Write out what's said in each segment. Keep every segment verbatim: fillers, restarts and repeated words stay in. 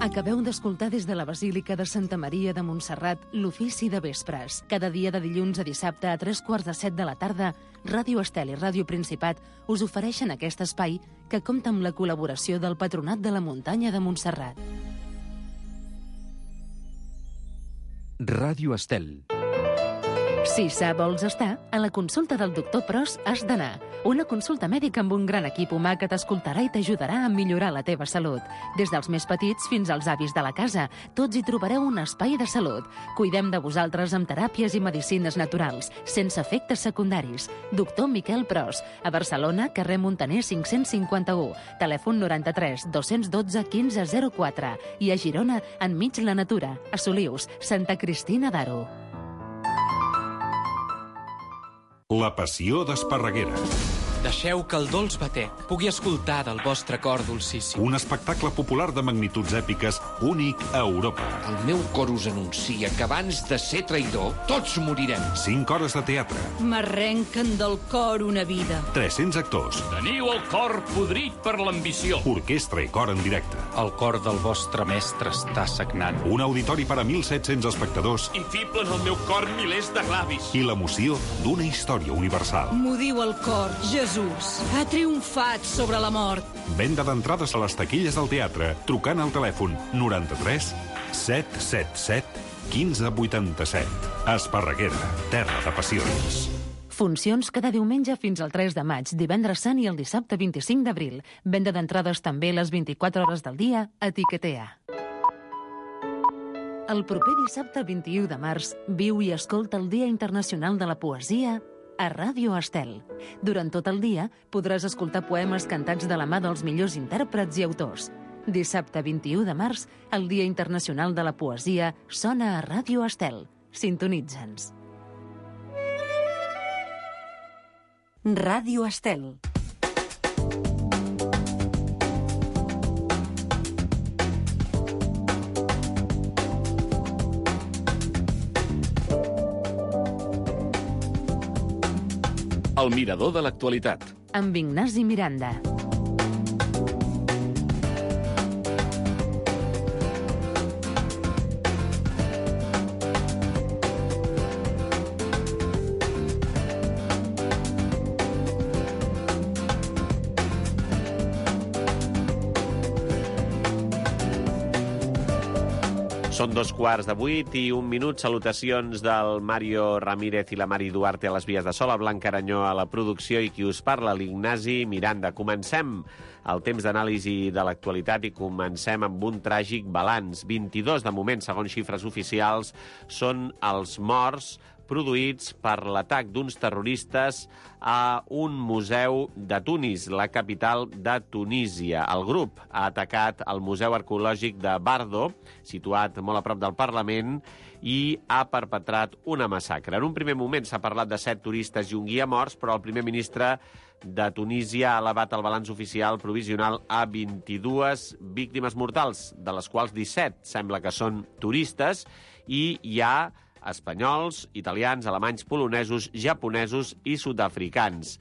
Acabeu d'escoltar des de la Basílica de Santa Maria de Montserrat l'ofici de vespres. Cada dia de dilluns a dissabte a tres quarts de set de la tarda, Ràdio Estel i Ràdio Principat us ofereixen aquest espai que compta amb la col·laboració del Patronat de la Muntanya de Montserrat. Ràdio Estel. Si sa vols estar, a la consulta del doctor Pros has d'anar. Una consulta mèdica amb un gran equip humà que t'escoltarà i t'ajudarà a millorar la teva salut. Des dels més petits fins als avis de la casa, tots hi trobareu un espai de salut. Cuidem de vosaltres amb teràpies i medicines naturals, sense efectes secundaris. Doctor Miquel Pros, a Barcelona, carrer Montaner cinc-cents cinquanta-u, telèfon noranta-tres dos-cents dotze quinze zero quatre, i a Girona, enmig la natura, a Solius, Santa Cristina d'Aro. La passió d'Esparreguera. Deixeu que el dolç batec pugui escoltar del vostre cor dolcíssim. Un espectacle popular de magnituds èpiques únic a Europa. El meu cor us anuncia que abans de ser traïdor, tots morirem. Cinc hores de teatre. M'arrenquen del cor una vida. tres-cents actors. Teniu el cor podrit per l'ambició. Orquestra i cor en directe. El cor del vostre mestre està sagnant. Un auditori per a mil set-cents espectadors. I fiblen al meu cor milers de glavis. I l'emoció d'una història universal. M'ho diu el cor, Jesús. Ha triomfat sobre la mort. Venda d'entrades a les taquilles del teatre, trucant al telèfon noranta-tres set set set quinze vuitanta-set. Esparreguera, terra de passions. Funcions cada diumenge fins al tres de maig, divendres sant i el dissabte vint-i-cinc d'abril. Venda d'entrades també les vint-i-quatre hores del dia a Tiquetea. El proper dissabte vint-i-u de març, viu i escolta el Dia Internacional de la Poesia a Ràdio Estel. Durant tot el dia podràs escoltar poemes cantats de la mà dels millors intèrprets i autors. Dissabte vint-i-u de març, el Dia Internacional de la Poesia sona a Ràdio Estel. Sintonitza'ns. Ràdio Estel. El mirador de l'actualitat. Amb Ignasi Miranda. Són dos quarts de vuit i un minut. Salutacions del Mario Ramírez i la Mari Duarte a les vies de so, la Blanca Aranyó a la producció i qui us parla, l'Ignasi Miranda. Comencem el temps d'anàlisi de l'actualitat i comencem amb un tràgic balanç. vint-i-dos de moment, segons xifres oficials, són els morts produïts per l'atac d'uns terroristes a un museu de Tunis, la capital de Tunísia. El grup ha atacat el Museu Arqueològic de Bardo, situat molt a prop del Parlament, i ha perpetrat una massacre. En un primer moment s'ha parlat de set turistes i un guia morts, però el primer ministre de Tunísia ha elevat el balanç oficial provisional a vint-i-dues víctimes mortals, de les quals disset sembla que són turistes, i hi ha espanyols, italians, alemanys, polonesos, japonesos i sud-africans.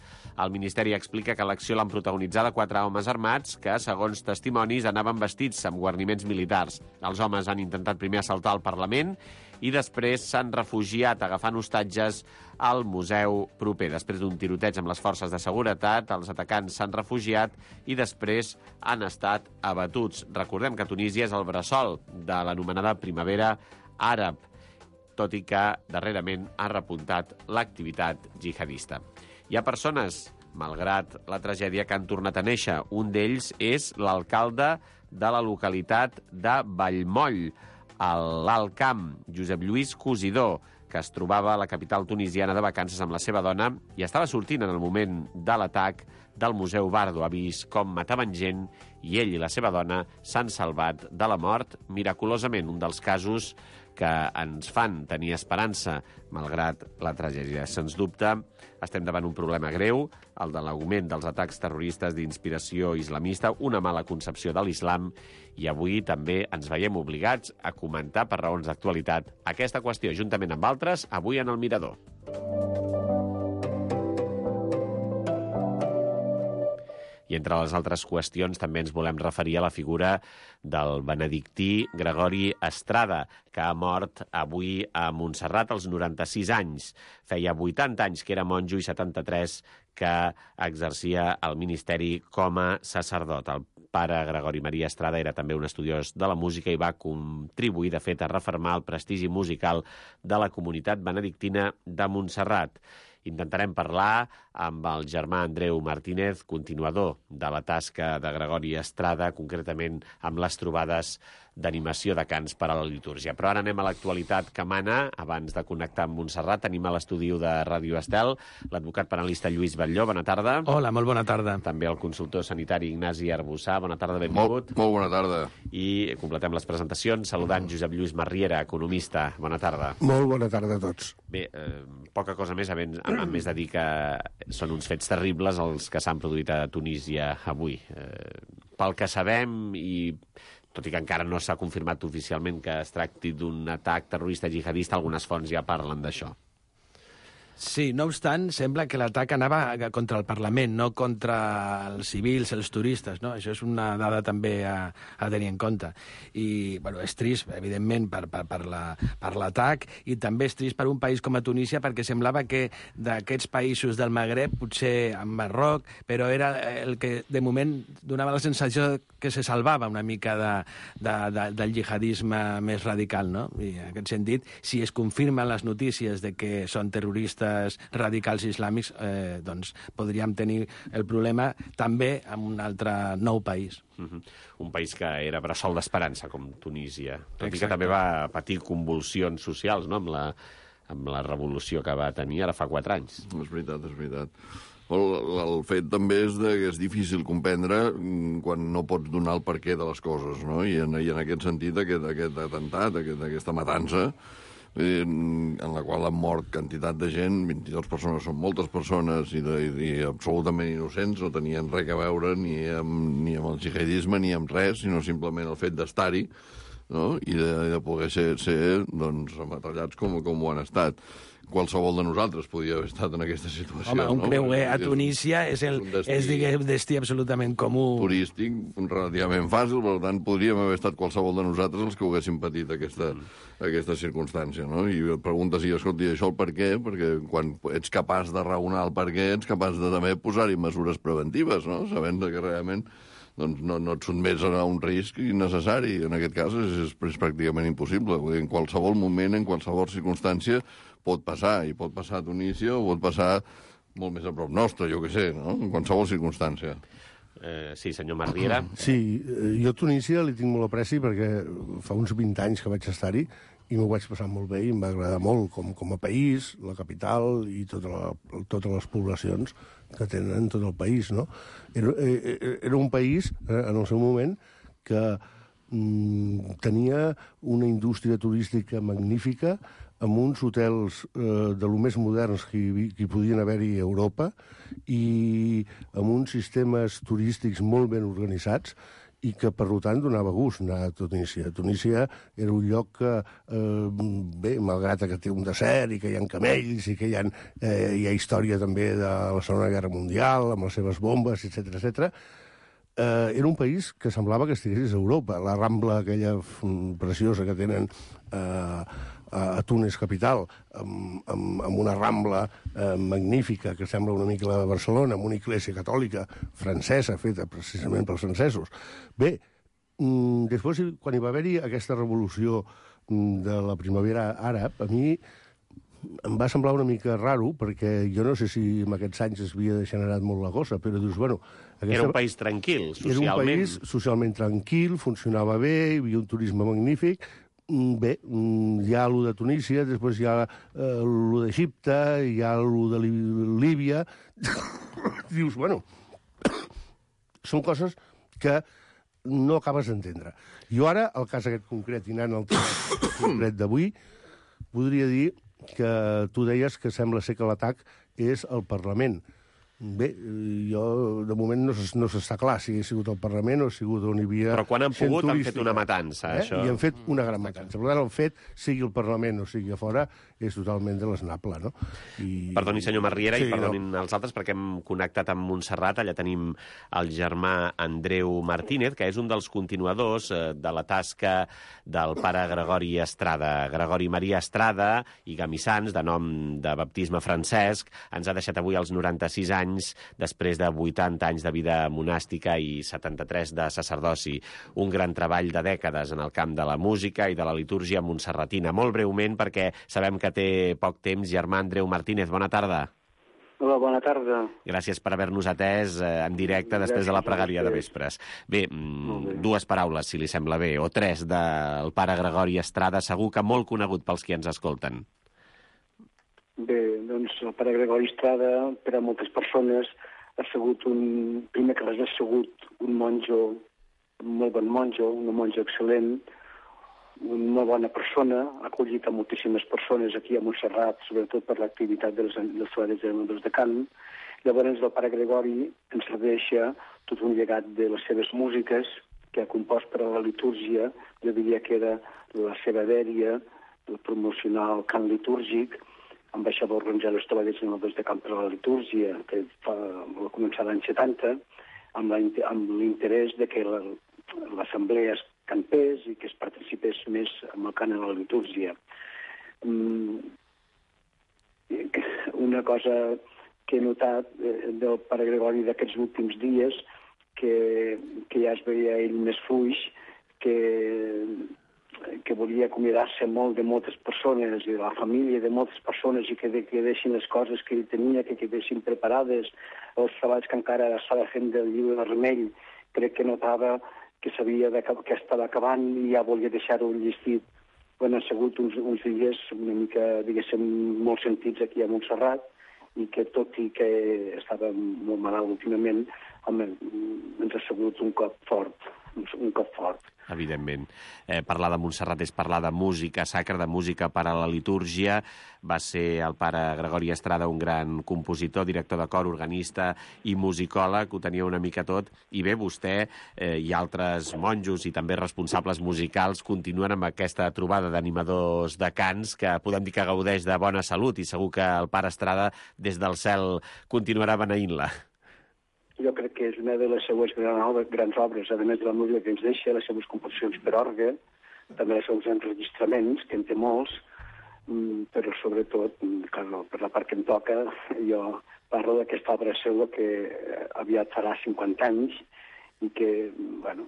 El Ministeri explica que l'acció l'han protagonitzada quatre homes armats que, segons testimonis, anaven vestits amb guarniments militars. Els homes han intentat primer assaltar el Parlament i després s'han refugiat agafant hostatges al museu proper. Després d'un tiroteig amb les forces de seguretat, els atacants s'han refugiat i després han estat abatuts. Recordem que Tunísia és el bressol de l'anomenada primavera àrab, tot i que darrerament ha repuntat l'activitat jihadista. Hi ha persones, malgrat la tragèdia, que han tornat a néixer. Un d'ells és l'alcalde de la localitat de Vallmoll, a l'Alt Camp, Josep Lluís Cosidó, que es trobava a la capital tunisiana de vacances amb la seva dona i estava sortint en el moment de l'atac del Museu Bardo. Ha vist com mataven gent i ell i la seva dona s'han salvat de la mort miraculosament. Un dels casos que ens fan tenir esperança, malgrat la tragèdia. Sens dubte, estem davant un problema greu, el de l'augment dels atacs terroristes d'inspiració islamista, una mala concepció de l'islam, i avui també ens veiem obligats a comentar per raons d'actualitat aquesta qüestió, juntament amb altres, avui en el Mirador. I entre les altres qüestions també ens volem referir a la figura del benedictí Gregori Estrada, que ha mort avui a Montserrat als noranta-sis anys. Feia vuitanta anys que era monjo i setanta-tres que exercia el ministeri com a sacerdot. El pare Gregori Maria Estrada era també un estudiós de la música i va contribuir, de fet, a refermar el prestigi musical de la comunitat benedictina de Montserrat. Intentarem parlar amb el germà Andreu Martínez, continuador de la tasca de Gregori Estrada, concretament amb les trobades d'animació de cants per a la litúrgia. Però ara anem a l'actualitat que mana. Abans de connectar amb Montserrat, tenim a l'estudi de Ràdio Estel l'advocat penalista Lluís Batlló. Bona tarda. Hola, molt bona tarda. També el consultor sanitari Ignasi Arbussà. Bona tarda, benvingut. Molt, molt bona tarda. I completem les presentacions saludant Josep Lluís Marriera, economista. Bona tarda. Molt bona tarda a tots. Bé, eh, poca cosa més, a més, a més de dir que són uns fets terribles els que s'han produït a Tunísia avui. Eh, pel que sabem, i tot i que encara no s'ha confirmat oficialment que es tracti d'un atac terrorista jihadista, algunes fonts ja parlen d'això. Sí, no obstant, sembla que l'atac anava contra el Parlament, no contra els civils, els turistes, no? Això és una dada també a, a tenir en compte. I, bueno, és trist, evidentment, per, per, per l'atac, la, i també és trist per un país com a Tunísia, perquè semblava que d'aquests països del Magreb, potser en Marroc, però era el que, de moment, donava la sensació que se salvava una mica de, de, de, del jihadisme més radical, no? I en aquest sentit, si es confirmen les notícies de que són terroristes radicals islàmics, eh, doncs podríem tenir el problema també en un altre nou país. Uh-huh. Un país que era bressol d'esperança, com Tunísia. Tot Exacte. I que també va patir convulsions socials, no?, amb la, amb la revolució que va tenir ara fa quatre anys. És veritat, és veritat. El, el fet també és de que és difícil comprendre quan no pots donar el perquè de les coses, no? I en, i en aquest sentit, aquest, aquest atemptat, aquest, aquesta matança, en la qual han mort quantitat de gent, vint-i-dues persones són moltes persones i, de, i absolutament innocents, no tenien res a veure ni amb, ni amb el jihadisme ni amb res, sinó simplement el fet d'estar-hi, no? I de, de poder ser, ser doncs, ametrallats com, com ho han estat. Qualsevol de nosaltres podia haver estat en aquesta situació. Home, un no? creuer a Tunísia és, el, és, destí, és diguem, destí absolutament comú. Turístic, relativament fàcil, per tant, podríem haver estat qualsevol de nosaltres els que ho haguéssim patit aquesta, mm. aquesta circumstància, no? I et preguntes, i escolti, això el per què? Perquè quan ets capaç de raonar el per què, ets capaç de també posar-hi mesures preventives, no? Sabent que realment doncs no, no et sotmets a un risc innecessari. En aquest cas és, és, és pràcticament impossible. En qualsevol moment, en qualsevol circumstància, pot passar, i pot passar a Tunísia o pot passar molt més a prop nostre, jo què sé, no? En qualsevol circumstància. Eh, sí, senyor Marriera. Sí, jo a Tunísia li tinc molt apreci perquè fa uns vint anys que vaig estar-hi i m'ho vaig passar molt bé i em va agradar molt com, com a país, la capital i tota la, totes les poblacions que tenen tot el país, no? Era, era un país, eh, en el seu moment, que mm, tenia una indústria turística magnífica, amb uns hotels eh, de lo més moderns que hi, que hi podien haver-hi a Europa i amb uns sistemes turístics molt ben organitzats i que, per tant, donava gust anar a Tunísia. Tunísia era un lloc que, eh, bé, malgrat que té un desert i que hi ha camells i que hi ha, eh, hi ha història també de la Segona Guerra Mundial, amb les seves bombes, etcètera, etcètera, eh, era un país que semblava que estigués a Europa. La Rambla, aquella preciosa que tenen eh, a Túnez capital, amb, amb, amb una Rambla eh, magnífica que sembla una mica la de Barcelona, amb una església catòlica francesa, feta precisament pels francesos. Bé, mm, després, quan hi va haver-hi aquesta revolució de la primavera àrab, a mi em va semblar una mica raro, perquè jo no sé si en aquests anys es havia generat molt la cosa, però dius, bueno... Aquesta... Era un país tranquil, socialment. Era un país socialment tranquil, funcionava bé, hi havia un turisme magnífic. Bé, hi ha allò de Tunísia, després hi ha eh, allò d'Egipte, hi ha allò de Líbia... Dius, bueno, són coses que no acabes d'entendre. Jo ara, el cas aquest concret, i anant al tema concret d'avui, podria dir que tu deies que sembla ser que l'atac és al Parlament. Bé, jo, de moment, no, no s'està clar si ha sigut al Parlament o ha sigut on hi havia... Però quan han pogut han fet una matança, eh? això. I han fet una gran matança. Per tant, el fet, sigui al Parlament o sigui a fora, és totalment desnable, no? I... Perdoni, senyor Marriera, sí, i perdonin no. els altres, perquè hem connectat amb Montserrat. Allà tenim el germà Andreu Martínez, que és un dels continuadors eh, de la tasca del pare Gregori Estrada. Gregori Maria Estrada i Gamissans, de nom de baptisme Francesc, ens ha deixat avui als noranta-sis anys, després de vuitanta anys de vida monàstica i setanta-tres de sacerdoci. Un gran treball de dècades en el camp de la música i de la litúrgia montserratina. Molt breument, perquè sabem que que té poc temps. Germà Andreu Martínez, bona tarda. Hola, bona tarda. Gràcies per haver-nos atès eh, en directe després Gràcies de la pregària de vespres. Bé, mm, dues paraules, si li sembla bé, o tres, del pare Gregori Estrada, segur que molt conegut pels qui ens escolten. Bé, doncs el pare Gregori Estrada, per a moltes persones, ha sigut un... Primer que res, ha sigut un monjo, un molt bon monjo, un monjo excel·lent, una bona persona, ha acollit a moltíssimes persones aquí a Montserrat, sobretot per l'activitat dels, dels treballs de, de cant. Llavors el pare Gregori ens deixa tot un llegat de les seves músiques que ha compost per a la litúrgia. Jo diria que era la seva dèria, el promocionar el cant litúrgic, amb això va organitzar els treballs de cant per a la litúrgia, que fa, va començar l'any setanta, amb l'interès de que l'assemblea es cantés i que es participés més amb el cant a la litúrgia. Una cosa que he notat del pare Gregori d'aquests últims dies, que, que ja es veia ell més fluix, que, que volia acomiadar-se molt de moltes persones i de la família de moltes persones i que quedessin les coses que ell tenia, que quedessin preparades, els treballs que encara estava fent del llibre vermell. Crec que notava que sabia de, que estava acabant i ja volia deixar-ho llistit. Bueno, han sigut uns, uns dies una mica, diguéssim, molt sentits aquí a Montserrat i que tot i que estava molt malalt últimament, ens ha sigut un cop fort, un cop fort. Evidentment. Eh, parlar de Montserrat és parlar de música sacra, de música per a la litúrgia. Va ser el pare Gregori Estrada un gran compositor, director de cor, organista i musicòleg, ho tenia una mica tot. I bé, vostè eh, i altres monjos i també responsables musicals continuen amb aquesta trobada d'animadors de cants que podem dir que gaudeix de bona salut i segur que el pare Estrada des del cel continuarà beneint-la. Jo crec que és una de les seues grans obres, a més de la música que ens deixa, les seves composicions per orgue, també els seus enregistraments, que en té molts, però sobretot, per la part que em toca, jo parlo d'aquesta obra seva que aviat farà cinquanta anys i que, bueno,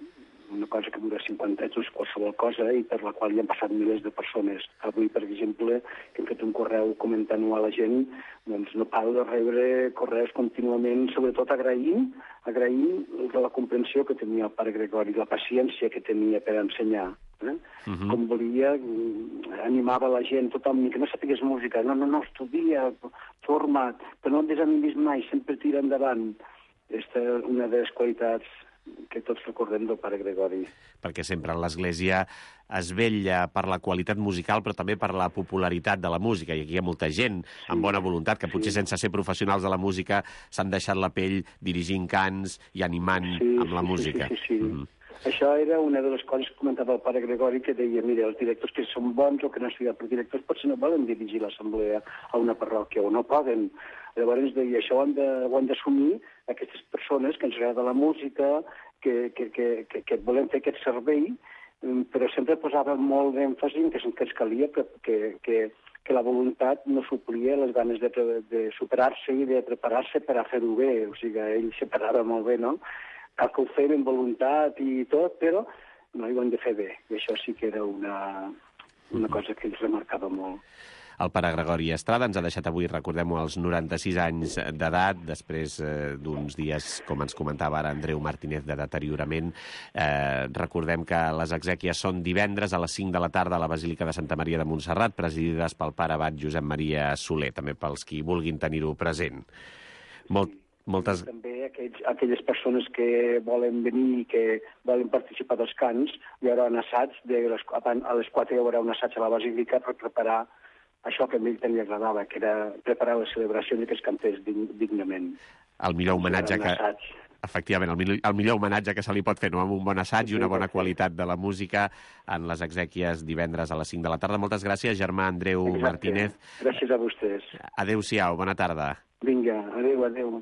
una cosa que dura cinquanta anys, és qualsevol cosa, i per la qual hi han passat milers de persones. Avui, per exemple, que hem fet un correu comentant-ho a la gent, doncs no paro de rebre correus contínuament, sobretot agraint, agraint de la comprensió que tenia el pare Gregori, la paciència que tenia per ensenyar. Eh? Uh-huh. Com volia, animava la gent, tothom, que no sapigués música, no, no, no, estudia, forma't, però no et desanimis mai, sempre tira endavant. Aquesta és una de les qualitats que tots recordem del pare Gregori. Perquè sempre en l'Església es vetlla per la qualitat musical, però també per la popularitat de la música. I aquí hi ha molta gent sí. amb bona voluntat, que potser sí. sense ser professionals de la música s'han deixat la pell dirigint cants i animant sí, amb la sí, música. Sí, sí, sí. Mm-hmm. Això era una de les coses que comentava el pare Gregori, que deia, mira, els directors que són bons o que no han estudiat per directors potser no volen dirigir l'assemblea a una parròquia, o no poden. Llavors deia, això ho han d'assumir aquestes persones que ens agrada la música, que, que, que, que, que volem fer aquest servei, però sempre posava molt d'èmfasi en que, que ens calia que, que, que, que la voluntat no suplia les ganes de, de superar-se i de preparar-se per a fer-ho bé. O sigui, ell separava molt bé, no? Cal que ho fem amb voluntat i tot, però no ho hem de fer bé. I això sí que era una, una cosa que ens remarcava molt. El pare Gregori Estrada ens ha deixat avui, recordem-ho, als noranta-sis anys d'edat, després eh, d'uns dies, com ens comentava ara Andreu Martínez, de deteriorament. Eh, recordem que les exèquies són divendres a les cinc de la tarda a la Basílica de Santa Maria de Montserrat, presidides pel pare abat Josep Maria Soler, també pels qui vulguin tenir-ho present. Molt, moltes... També aquells, aquelles persones que volen venir i que volen participar dels cants, hi haurà un assaig, de les, a les quatre hi haurà un assaig a la Basílica per preparar això que a ell també agradava, que era preparar les celebracions i que es cantés dignament. El millor homenatge que... Efectivament, el, millor, el millor homenatge que se li pot fer, no? Amb un bon assaig i una bona qualitat de la música en les exèquies divendres a les cinc de la tarda. Moltes gràcies, germà Andreu Exacte. Martínez. Gràcies a vostès. Adéu-siau, bona tarda. Vinga, adéu, adéu.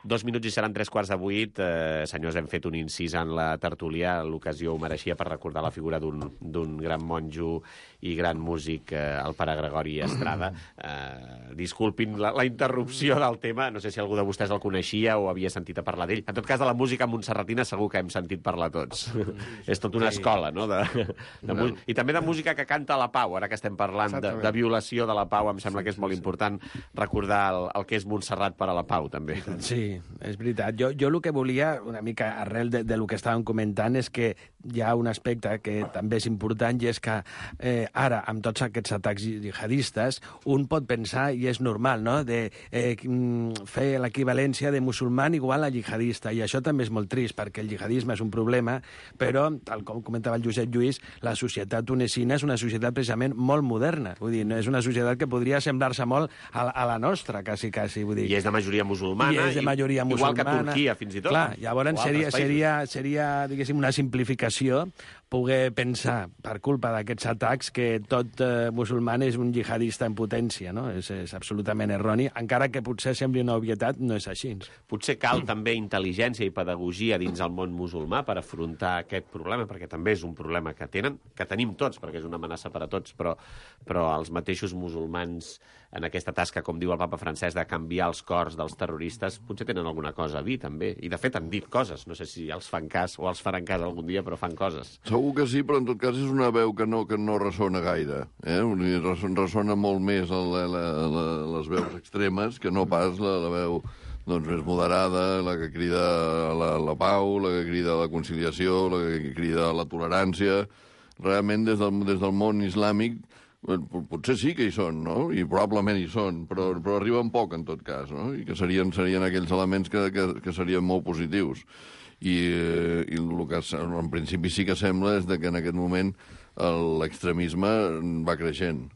Dos minuts i seran tres quarts de vuit. Eh, senyors, hem fet un incís en la tertúlia. L'ocasió ho mereixia per recordar la figura d'un gran monjo i gran músic, eh, el pare Gregori Estrada. Eh, disculpin la, la interrupció del tema. No sé si algú de vostès el coneixia o havia sentit a parlar d'ell. En tot cas, de la música montserratina segur que hem sentit parlar tots. És tot una escola, no? De, de no. I també de música que canta la pau. Ara que estem parlant de, de violació de la pau, em sembla que és molt important recordar el, el que és Montserrat per a la pau, també. Sí, és veritat. Jo, jo el que volia, una mica arrel de, de lo que estàvem comentant, és que hi ha un aspecte que també és important, i és que eh, ara, amb tots aquests atacs jihadistes, un pot pensar, i és normal, no?, de eh, fer l'equivalència de musulman igual a jihadista, i això també és molt trist, perquè el jihadisme és un problema, però, tal com comentava el Josep Lluís, la societat tunesina és una societat precisament molt moderna. Vull dir, no és una societat que podria semblar-se molt a, a la nostra, quasi, quasi. Vull dir. I és de majoria musulmana. I és de majoria musulmana. Igual que Turquia, fins i tot. Clar, llavors seria, seria, seria, diguéssim, una simplificació poder pensar, per culpa d'aquests atacs, que tot eh, musulman és un jihadista en potència, no? És, és absolutament erroni, encara que potser sembli una obvietat, no és així. Potser cal també intel·ligència i pedagogia dins el món musulmà per afrontar aquest problema, perquè també és un problema que tenen, que tenim tots, perquè és una amenaça per a tots, però, però els mateixos musulmans en aquesta tasca, com diu el papa Francesc, de canviar els cors dels terroristes, potser tenen alguna cosa a dir, també. I, de fet, han dit coses. No sé si els fan cas o els faran cas algun dia, però fan coses. Segur que sí, però en tot cas és una veu que no, que no ressona gaire. Eh? Ressona molt més la, la, la, les veus extremes que no pas la, la veu doncs, més moderada, la que crida a la, la pau, la que crida a la conciliació, la que crida a la tolerància. Realment, des del, des del món islàmic, potser sí que hi són, no? I probablement hi són, però, però arriben poc, en tot cas, no? I que serien, serien aquells elements que, que, que serien molt positius. I, eh, i el que en principi sí que sembla és que en aquest moment l'extremisme va creixent.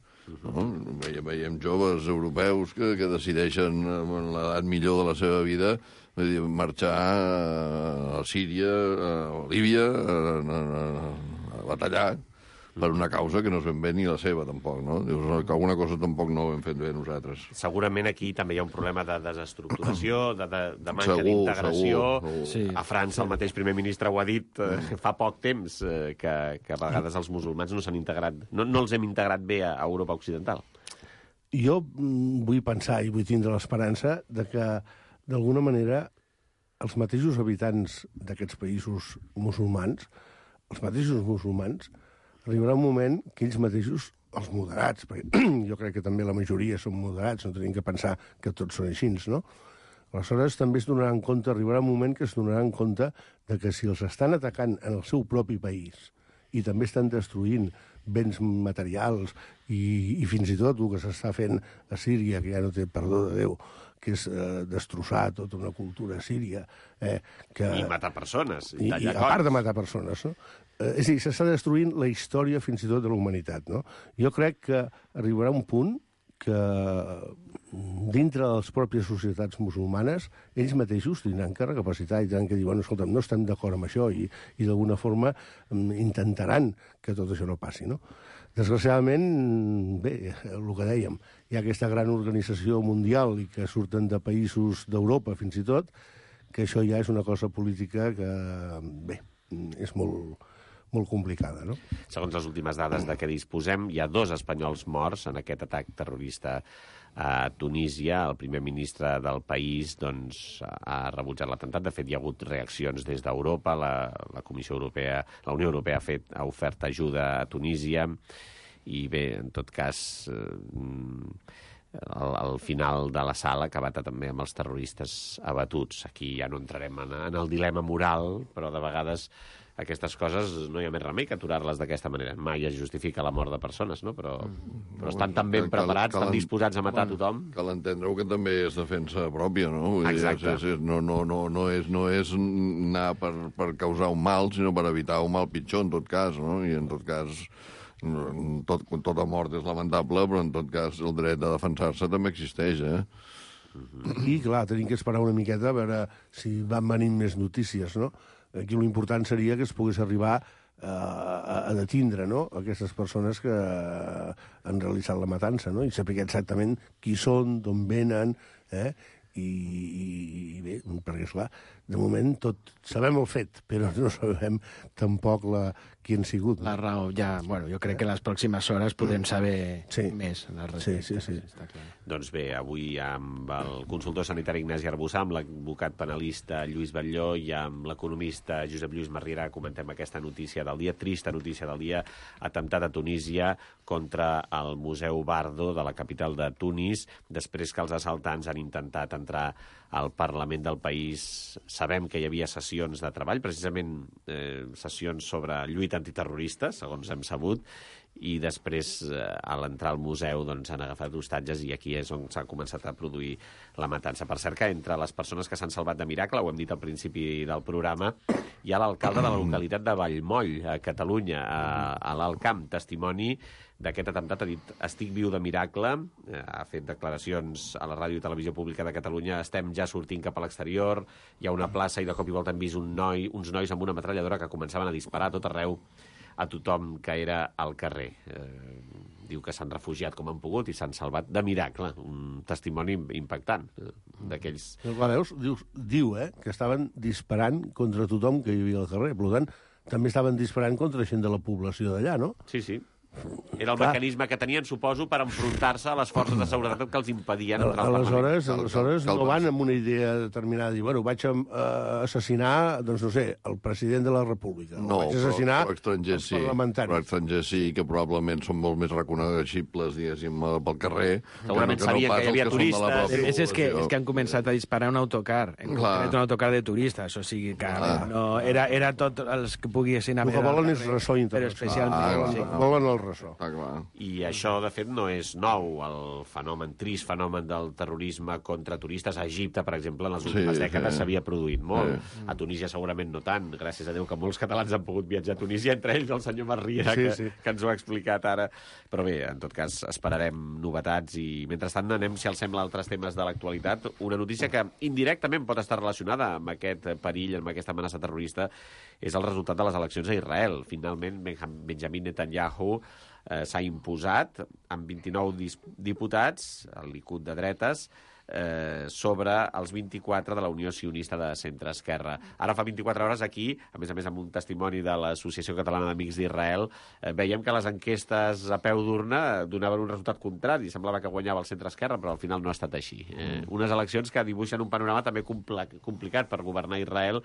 No? Veiem, veiem joves europeus que, que decideixen en l'edat millor de la seva vida dir, marxar a Síria, a Líbia, a, a, a, a batallar per una causa que no és ben bé ni la seva, tampoc, no? Dius que alguna cosa tampoc no ho hem fet bé nosaltres. Segurament aquí també hi ha un problema de desestructuració, de, de, de manca d'integració. Sí. A França el mateix primer ministre ho ha dit eh, fa poc temps, eh, que, que a vegades els musulmans no s'han integrat, no, no els hem integrat bé a Europa Occidental. Jo vull pensar i vull tindre l'esperança de que, d'alguna manera, els mateixos habitants d'aquests països musulmans, els mateixos musulmans, arribarà un moment que ells mateixos, els moderats, perquè jo crec que també la majoria són moderats, no tenim que pensar que tots són així, no? Aleshores també es donaran compte, arribarà un moment que es donaran compte de que si els estan atacant en el seu propi país i també estan destruint béns materials i, i fins i tot el que s'està fent a Síria, que ja no té perdó de Déu, que és eh, destrossar tota una cultura síria. Eh, que... I matar persones. I, i a part de matar persones, no? Eh, és a dir, s'està destruint la història fins i tot de la humanitat, no? Jo crec que arribarà un punt que dintre de les pròpies societats musulmanes ells mateixos tindran que recapacitar i tindran que dir, bueno, escolta, no estem d'acord amb això i, i d'alguna forma intentaran que tot això no passi, no? Desgraciadament, bé, el que dèiem, hi ha aquesta gran organització mundial i que surten de països d'Europa fins i tot, que això ja és una cosa política que, bé, és molt, molt complicada, no? Segons les últimes dades de què disposem, hi ha dos espanyols morts en aquest atac terrorista a Tunísia. El primer ministre del país doncs, ha rebutjat l'atemptat. De fet, hi ha hagut reaccions des d'Europa. La, la Comissió Europea, la Unió Europea ha, fet, ha ofert ajuda a Tunísia. I bé, en tot cas, eh, al, al final de la sala ha acabat també amb els terroristes abatuts. Aquí ja no entrarem en, en el dilema moral, però de vegades aquestes coses no hi ha més remei que aturar-les d'aquesta manera. Mai es justifica la mort de persones, no? Però, però estan tan ben preparats, cal, cal, estan disposats a matar tothom. Cal entendre-ho que també és defensa pròpia, no? Exacte. És, és, no, no, no, no, és, no és anar per, per causar un mal, sinó per evitar un mal pitjor, en tot cas, no? I en tot cas, tot, tota mort és lamentable, però en tot cas el dret a defensar-se també existeix, eh? I, clar, tenim que esperar una miqueta a veure si van venint més notícies, no? Aquí l'important seria que es pogués arribar a, a detindre, no?, aquestes persones que han realitzat la matança, no?, i saber exactament qui són, d'on venen, eh?, i, i, i bé, perquè, esclar, de moment tot sabem el fet, però no sabem tampoc la, qui han sigut. La raó, ja, bueno, jo crec que les pròximes hores podem saber sí. més. Sí, sí, sí. Està clar. Doncs bé, avui amb el consultor sanitari Ignasi Arbussà, amb l'advocat penalista Lluís Batlló i amb l'economista Josep Lluís Marriera comentem aquesta notícia del dia, trista notícia del dia, atemptat a Tunísia contra el Museu Bardo de la capital de Tunis, després que els assaltants han intentat entrar al Parlament del país. Sabem que hi havia sessions de treball, precisament eh, sessions sobre lluita antiterrorista, segons hem sabut, i després, eh, a l'entrar al museu, doncs, han agafat hostatges i aquí és on s'ha començat a produir la matança. Per cert que entre les persones que s'han salvat de miracle, ho hem dit al principi del programa, hi ha l'alcalde de la localitat de Vallmoll, a Catalunya, a, a l'Alt Camp, testimoni d'aquest atemptat, ha dit estic viu de miracle, ha fet declaracions a la ràdio i televisió pública de Catalunya, estem ja sortint cap a l'exterior, hi ha una plaça i de cop i volta hem vist un noi, uns nois amb una metralladora que començaven a disparar a tot arreu a tothom que era al carrer. Eh, diu que s'han refugiat com han pogut i s'han salvat de miracle. Un testimoni impactant eh, d'aquells... Però, veus, diu, diu eh, que estaven disparant contra tothom que hi havia al carrer. Per tant, també estaven disparant contra gent de la població d'allà, no? Sí, sí. Era el Clar. mecanisme que tenien, suposo, per enfrontar-se a les forces de seguretat que els impedien entrar al aleshores, Parlament. Aleshores no van amb una idea determinada, dir, bueno, vaig a uh, assassinar, doncs no sé, el president de la República. No, vaig assassinar però, però estrangers sí, però estrangers sí, que probablement són molt més reconeixibles, diguéssim, pel carrer. Segurament que no, sabien que, no que hi havia turistes. És, és, que, és que han començat a disparar un autocar, en concret un autocar de turistes, o sigui que no, era, era tot els que poguessin haver... El que volen és ressò internacional. Però especialment... Ah, sí. Volen el ressò. Ah, clar. I això, de fet, no és nou. El fenomen, trist fenomen del terrorisme contra turistes a Egipte, per exemple, en les últimes sí, dècades s'havia sí. produït molt. Sí. A Tunísia segurament no tant. Gràcies a Déu que molts catalans han pogut viatjar a Tunísia, entre ells el senyor Marriera, sí, que, sí. que ens ho ha explicat ara. Però bé, en tot cas, esperarem novetats i, mentrestant, anem, si els sembla, altres temes de l'actualitat. Una notícia que indirectament pot estar relacionada amb aquest perill, amb aquesta amenaça terrorista, és el resultat de les eleccions a Israel. Finalment, Benjamin Netanyahu eh, s'ha imposat amb vint-i-nou diputats, el Likud de dretes, eh, sobre els vint-i-quatre de la Unió Sionista de centre-esquerra. Ara fa vint-i-quatre hores aquí, a més a més amb un testimoni de l'Associació Catalana d'Amics d'Israel, eh, veiem que les enquestes a peu d'urna donaven un resultat contrari. Semblava que guanyava el centre-esquerra, però al final no ha estat així. Eh, unes eleccions que dibuixen un panorama també compl- complicat per governar Israel,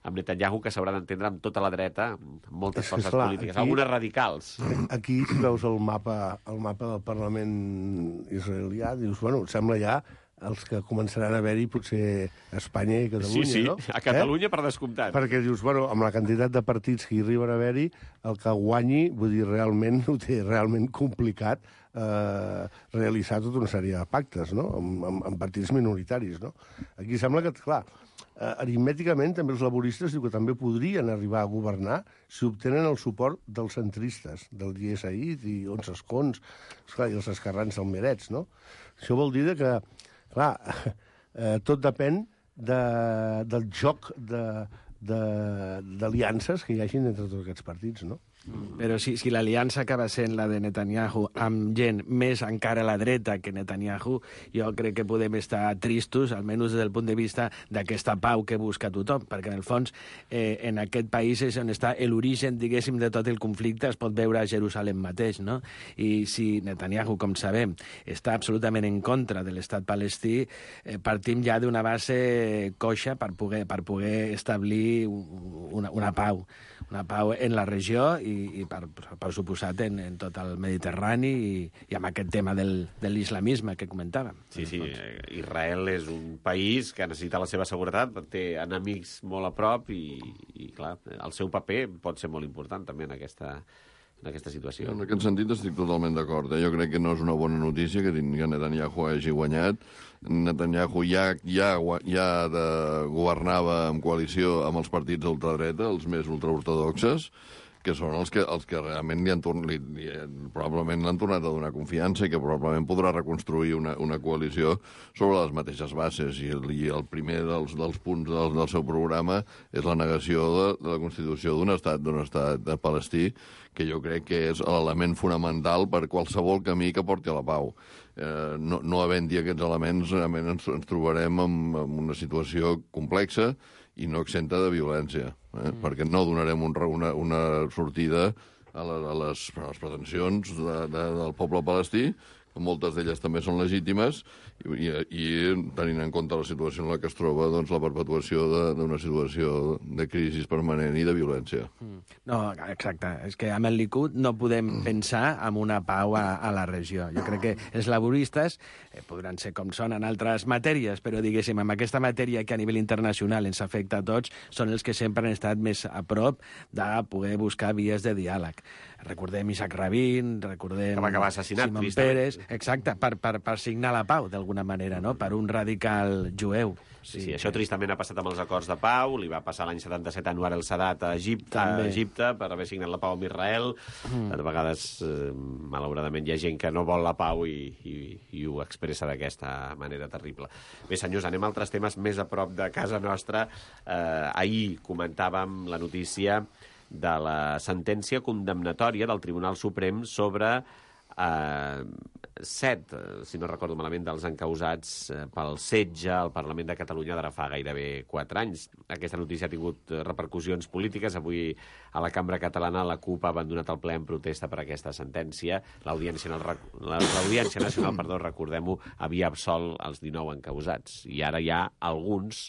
amb Netanyahu, que s'haurà d'entendre amb tota la dreta, amb moltes forces clar, aquí, polítiques, algunes radicals. Aquí, si veus el mapa, el mapa del Parlament israelià, dius, bueno, sembla ja els que començaran a haver-hi potser a Espanya i a Catalunya, sí, sí, no? a Catalunya eh? per descomptat. Perquè dius, bueno, amb la quantitat de partits que hi arriben a haver-hi, el que guanyi, vull dir, realment ho té realment complicat eh, realitzar tota una sèrie de pactes, no?, amb, amb, amb partits minoritaris, no? Aquí sembla que, clar, eh, aritmèticament també els laboristes diu que també podrien arribar a governar si obtenen el suport dels centristes, del Yesaid i onze escons, esclar, i els esquerrans almerets, no? Això vol dir que, clar, eh, tot depèn de, del joc d'aliances que hi hagin entre tots aquests partits, no? Però si, si l'aliança acaba sent la de Netanyahu amb gent més encara a la dreta que Netanyahu, jo crec que podem estar tristos, almenys des del punt de vista d'aquesta pau que busca tothom, perquè en el fons eh, en aquest país és on està l'origen, diguéssim, de tot el conflicte, es pot veure a Jerusalem mateix, no? I si Netanyahu, com sabem, està absolutament en contra de l'estat palestí, eh, partim ja d'una base coixa per poder, per poder establir una, una pau, una pau en la regió i i per, per suposat en, en tot el Mediterrani i, i amb aquest tema del, de l'islamisme que comentàvem. Sí, sí, Israel és un país que necessita la seva seguretat, té enemics molt a prop i, i clar, el seu paper pot ser molt important també en aquesta, en aquesta situació. En aquest sentit estic totalment d'acord. Eh? Jo crec que no és una bona notícia que Netanyahu hagi guanyat. Netanyahu ja, ja, ja de, governava en coalició amb els partits d'ultradreta, els més ultraortodoxes, que són els que, els que realment li han, li, li, probablement l'han tornat a donar confiança i que probablement podrà reconstruir una, una coalició sobre les mateixes bases. I el, i el primer dels, dels punts del, del seu programa és la negació de, de la constitució d'un estat, d'un estat de palestí, que jo crec que és l'element fonamental per qualsevol camí que porti a la pau. Eh, no, no havent-hi aquests elements, realment ens, ens trobarem en, en una situació complexa i no exenta de violència, eh? mm. perquè no donarem un, una, una sortida a, la, a, les, a les pretensions de, de, del poble palestí, que moltes d'elles també són legítimes, i, i, i tenint en compte la situació en la que es troba, doncs, la perpetuació d'una situació de crisi permanent i de violència. Mm. No, exacte. És que amb el Likud no podem mm. pensar en una pau a, a la regió. Jo crec que els laboristes eh, podran ser com són en altres matèries, però, diguéssim, amb aquesta matèria que a nivell internacional ens afecta a tots, són els que sempre han estat més a prop de poder buscar vies de diàleg. Recordem Isaac Rabin, recordem que va acabar assassinat, Simon Peres, exacte, per, per, per signar la pau, d'alguna manera, no? Per un radical jueu. Sí, sí, això tristament ha passat amb els acords de pau, li va passar l'any setanta-set a Anwar el-Sadat a Egipte, a Egipte per haver signat la pau amb Israel. Mm. De vegades, eh, malauradament, hi ha gent que no vol la pau i, i, i ho expressa d'aquesta manera terrible. Bé, senyors, anem a altres temes més a prop de casa nostra. Eh, ahir comentàvem la notícia de la sentència condemnatòria del Tribunal Suprem sobre eh, set, si no recordo malament, dels encausats eh, pel setge al Parlament de Catalunya d'ara fa gairebé quatre anys. Aquesta notícia ha tingut repercussions polítiques. Avui a la Cambra Catalana la CUP ha abandonat el ple en protesta per aquesta sentència. L'Audiència L'Audiència Nacional, perdó, recordem-ho, havia absolt els dinou encausats. I ara hi ha alguns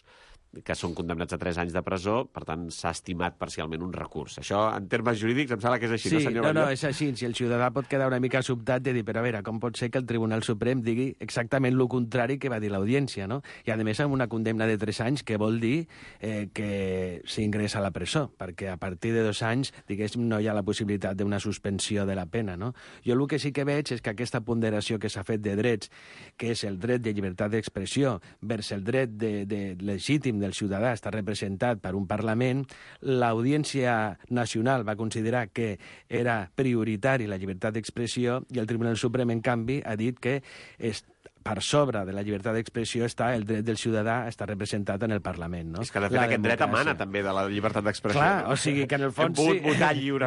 que són condemnats a tres anys de presó, per tant, s'ha estimat parcialment un recurs. Això, en termes jurídics, em sembla que és així, sí, no, senyor no, Batlló? no, és així. Si el ciutadà pot quedar una mica sobtat de dir, però a veure, com pot ser que el Tribunal Suprem digui exactament el contrari que va dir l'Audiència, no? I, a més, amb una condemna de tres anys, que vol dir eh, que s'ingressa a la presó, perquè a partir de dos anys, diguéssim, no hi ha la possibilitat d'una suspensió de la pena, no? Jo el que sí que veig és que aquesta ponderació que s'ha fet de drets, que és el dret de llibertat d'expressió vers el dret de, de legítim del ciutadà està representat per un Parlament, l'Audiència Nacional va considerar que era prioritari la llibertat d'expressió i el Tribunal Suprem, en canvi, ha dit que és per sobre de la llibertat d'expressió està el dret del ciutadà a estar representat en el Parlament, no? És que, de fet, la aquest dret emana també de la llibertat d'expressió. Clar, no? o sigui que, en el fons, sí,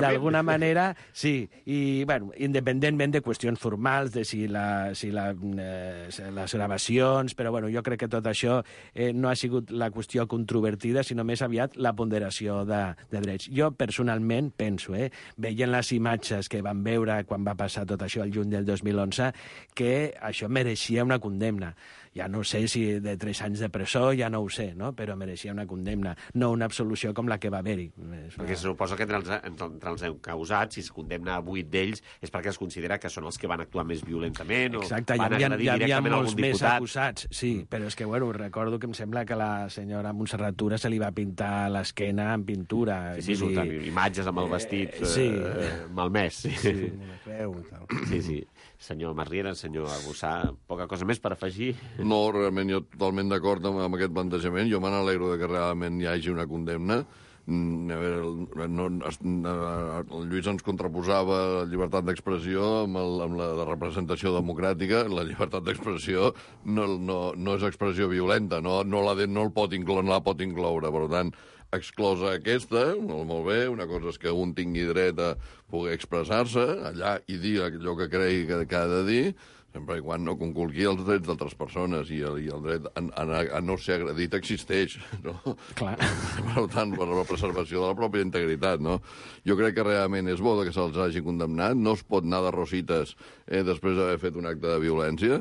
d'alguna manera, sí. I, bueno, independentment de qüestions formals, de si, la, si la, eh, les gravacions, però, bueno, jo crec que tot això eh, no ha sigut la qüestió controvertida, sinó més aviat la ponderació de, de drets. Jo, personalment, penso, eh, veient les imatges que vam veure quan va passar tot això el juny del dos mil onze, que això mereixia una condemna. Ja no sé si de tres anys de presó, ja no ho sé, no? Però mereixia una condemna, no una absolució com la que va haver-hi. Perquè se suposa que entre els, entre els encausats, si es condemna a vuit d'ells, és perquè es considera que són els que van actuar més violentament o exacte, van hi havia, agredir hi havia directament molts algun més diputat. acusats, sí, però és que, bueno, recordo que em sembla que la senyora Montserrat Tura se li va pintar l'esquena amb pintura. Sí, sí, surten imatges amb el vestit eh, sí. eh, malmès. Sí, sí. sí, sí. Senyor Masriera, senyor Arbussà, poca cosa més per afegir? No, realment jo totalment d'acord amb, amb aquest plantejament. Jo me n'alegro de que realment hi hagi una condemna. A veure, no, el Lluís ens contraposava la llibertat d'expressió amb, el, amb la de representació democràtica. La llibertat d'expressió no, no, no és expressió violenta, no, no, la, de, no, el pot incloure, no la pot incloure. Per tant, exclosa aquesta, molt, molt bé, una cosa és que un tingui dret a poder expressar-se allà i dir allò que cregui que, que ha de dir, sempre i quan no conculqui els drets d'altres persones, i el, i el dret a, a, a no ser agredit existeix, no? Clar. Per tant, per la preservació de la pròpia integritat, no? Jo crec que realment és bo que se'ls hagi condemnat, no es pot anar de rosites eh, després d'haver fet un acte de violència.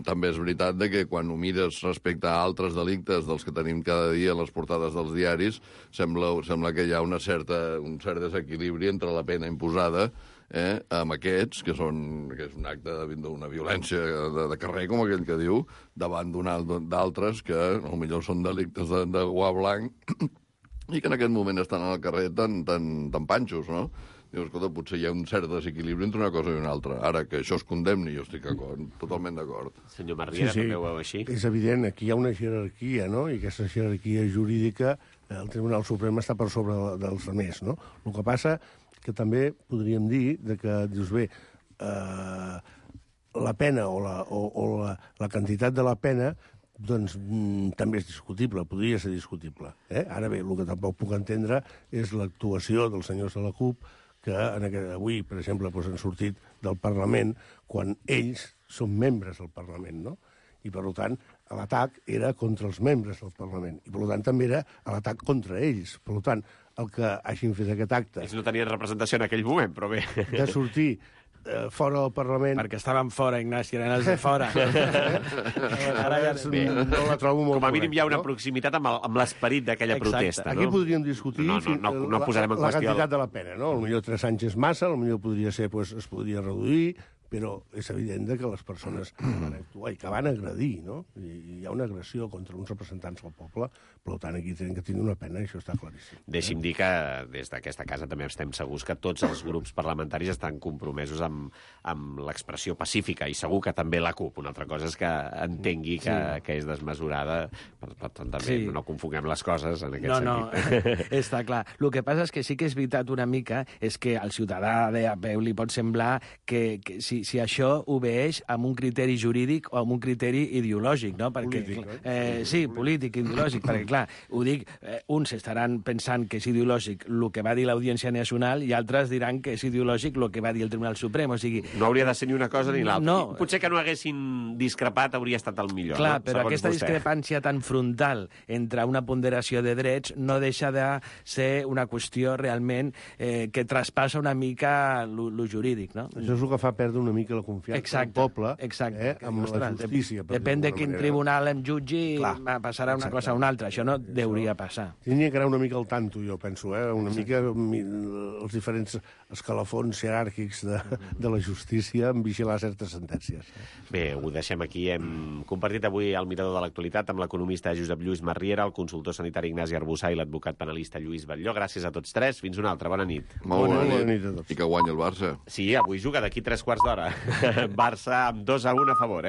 També és veritat de que quan ho mires respecte a altres delictes dels que tenim cada dia a les portades dels diaris, sembla, sembla que hi ha una certa, un cert desequilibri entre la pena imposada eh, amb aquests, que, són, que és un acte d'una violència de, de carrer, com aquell que diu, davant d'altres que potser són delictes de, de guà blanc i que en aquest moment estan al carrer tan, tan, tan panxos, no? Dius, escolta, potser hi ha un cert desequilibri entre una cosa i una altra. Ara, que això es condemni, jo estic totalment d'acord. Senyor Masriera, sí, sí. També ho veu així? És evident, aquí hi ha una jerarquia, no? I aquesta jerarquia jurídica, el Tribunal Suprem està per sobre dels altres, no? El que passa que també podríem dir de que, dius, bé, eh, la pena o, la, o, o la, la quantitat de la pena doncs mm, també és discutible, podria ser discutible. Eh? Ara bé, el que tampoc puc entendre és l'actuació dels senyors de la CUP que en aquest, avui, per exemple, doncs han sortit del Parlament quan ells són membres del Parlament, no? I, per tant, l'atac era contra els membres del Parlament. I, per tant, també era l'atac contra ells. Per tant, el que hagin fet aquest acte... Ells no tenien representació en aquell moment, però bé... De sortir eh, fora del Parlament... Perquè estaven fora, Ignasi, eren els de fora. Ara ja no la trobo molt Com a mínim hi ha una no? proximitat amb l'esperit d'aquella protesta. Aquí no? podríem discutir no, no, no, no, no posarem en la, la qüestió... quantitat de la pena, no? Potser tres anys és massa, potser podria ser, pues, es podria reduir, però és evident que les persones van actuar i que van agredir, no? I hi ha una agressió contra uns representants del poble, per tant, aquí tenen que tenir una pena, i això està claríssim. Deixi'm dir que des d'aquesta casa també estem segurs que tots els grups parlamentaris estan compromesos amb, amb l'expressió pacífica, i segur que també la CUP. Una altra cosa és que entengui que, sí. que és desmesurada, per, per tant, també sí. no confonguem les coses en aquest no, sentit. No, està clar. El que passa és que sí que és veritat una mica, és que al ciutadà de a peu li pot semblar que, que si, si això obeeix amb un criteri jurídic o amb un criteri ideològic, no? Perquè, polític, eh, sí, polític, ideològic, perquè, clar, ho dic, eh, uns estaran pensant que és ideològic el que va dir l'Audiència Nacional i altres diran que és ideològic el que va dir el Tribunal Suprem, o sigui... No hauria de ser ni una cosa ni l'altra. No. Potser que no haguessin discrepat hauria estat el millor, clar, no? Però Segons aquesta vostè. discrepància tan frontal entre una ponderació de drets no deixa de ser una qüestió realment eh, que traspassa una mica el jurídic, no? Això és el que fa perdre una mica la confiança exacte, del poble exacte, eh, amb la justícia. Depèn de quin manera. tribunal em jutgi, clar, passarà una exacte. cosa o una altra. Això no això deuria passar. Tindria que anar una mica al tanto, jo penso, eh? una sí. mica els diferents escalafons jeràrquics de, de la justícia en vigilar certes sentències. Bé, ho deixem aquí. Hem compartit avui el mirador de l'actualitat amb l'economista Josep Lluís Marriera, el consultor sanitari Ignasi Arbussà i l'advocat penalista Lluís Batlló. Gràcies a tots tres. Fins una altra. Bona nit. Molt bona, bona, bona nit. nit a tots. I que guanyi el Barça. Sí, avui juga d'aquí tres quarts d'hora. Barça amb dos a un a favor, eh?